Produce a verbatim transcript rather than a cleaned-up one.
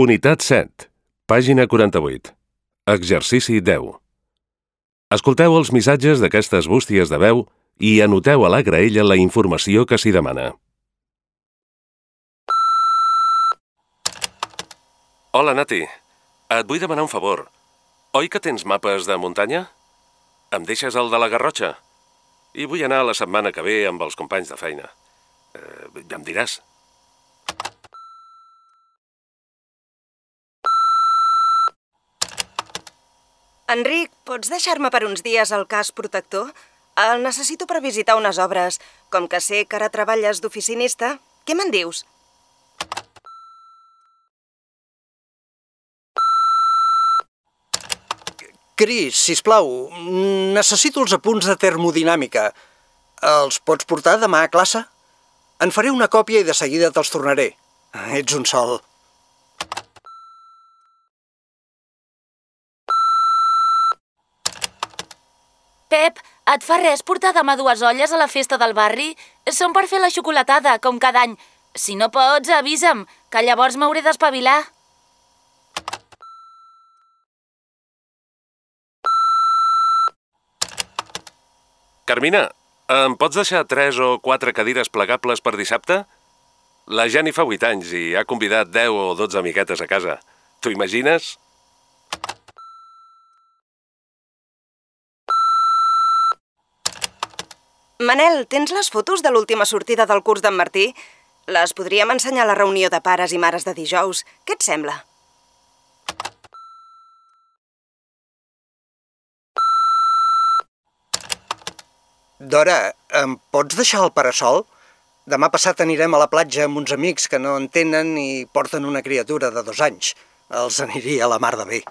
Unitat set, pàgina quaranta-vuit. Exercici deu. Escolteu els missatges d'aquestes bústies de veu i anoteu a la graella la informació que s'hi demana. Hola, Nati. Et vull demanar un favor. Oi que tens mapes de muntanya? Em deixes el de la Garrotxa? I vull anar la setmana que ve amb els companys de feina. Eh, ja em diràs. Enric, pots deixar-me per uns dies el casc protector? El necessito per visitar unes obres. Com que sé que ara treballes d'oficinista, què me'n dius? Cris, sisplau, necessito els apunts de termodinàmica. Els pots portar demà a classe? En faré una còpia i de seguida te'ls tornaré. Ets un sol. Pep, et fa res portar demà dues olles a la festa del barri? Són per fer la xocolatada, com cada any. Si no pots, avisa'm, que llavors m'hauré d'espavilar. Carmina, em pots deixar tres o quatre cadires plegables per dissabte? La Jenny fa vuit anys i ha convidat deu o dotze amiguetes a casa. T'ho imagines? Manel, tens les fotos de l'última sortida del curs d'en Martí? Les podríem ensenyar a la reunió de pares i mares de dijous. Què et sembla? Dora, em pots deixar el parasol? Demà passat anirem a la platja amb uns amics que no en tenen i porten una criatura de dos anys. Els aniria a la mar de bé.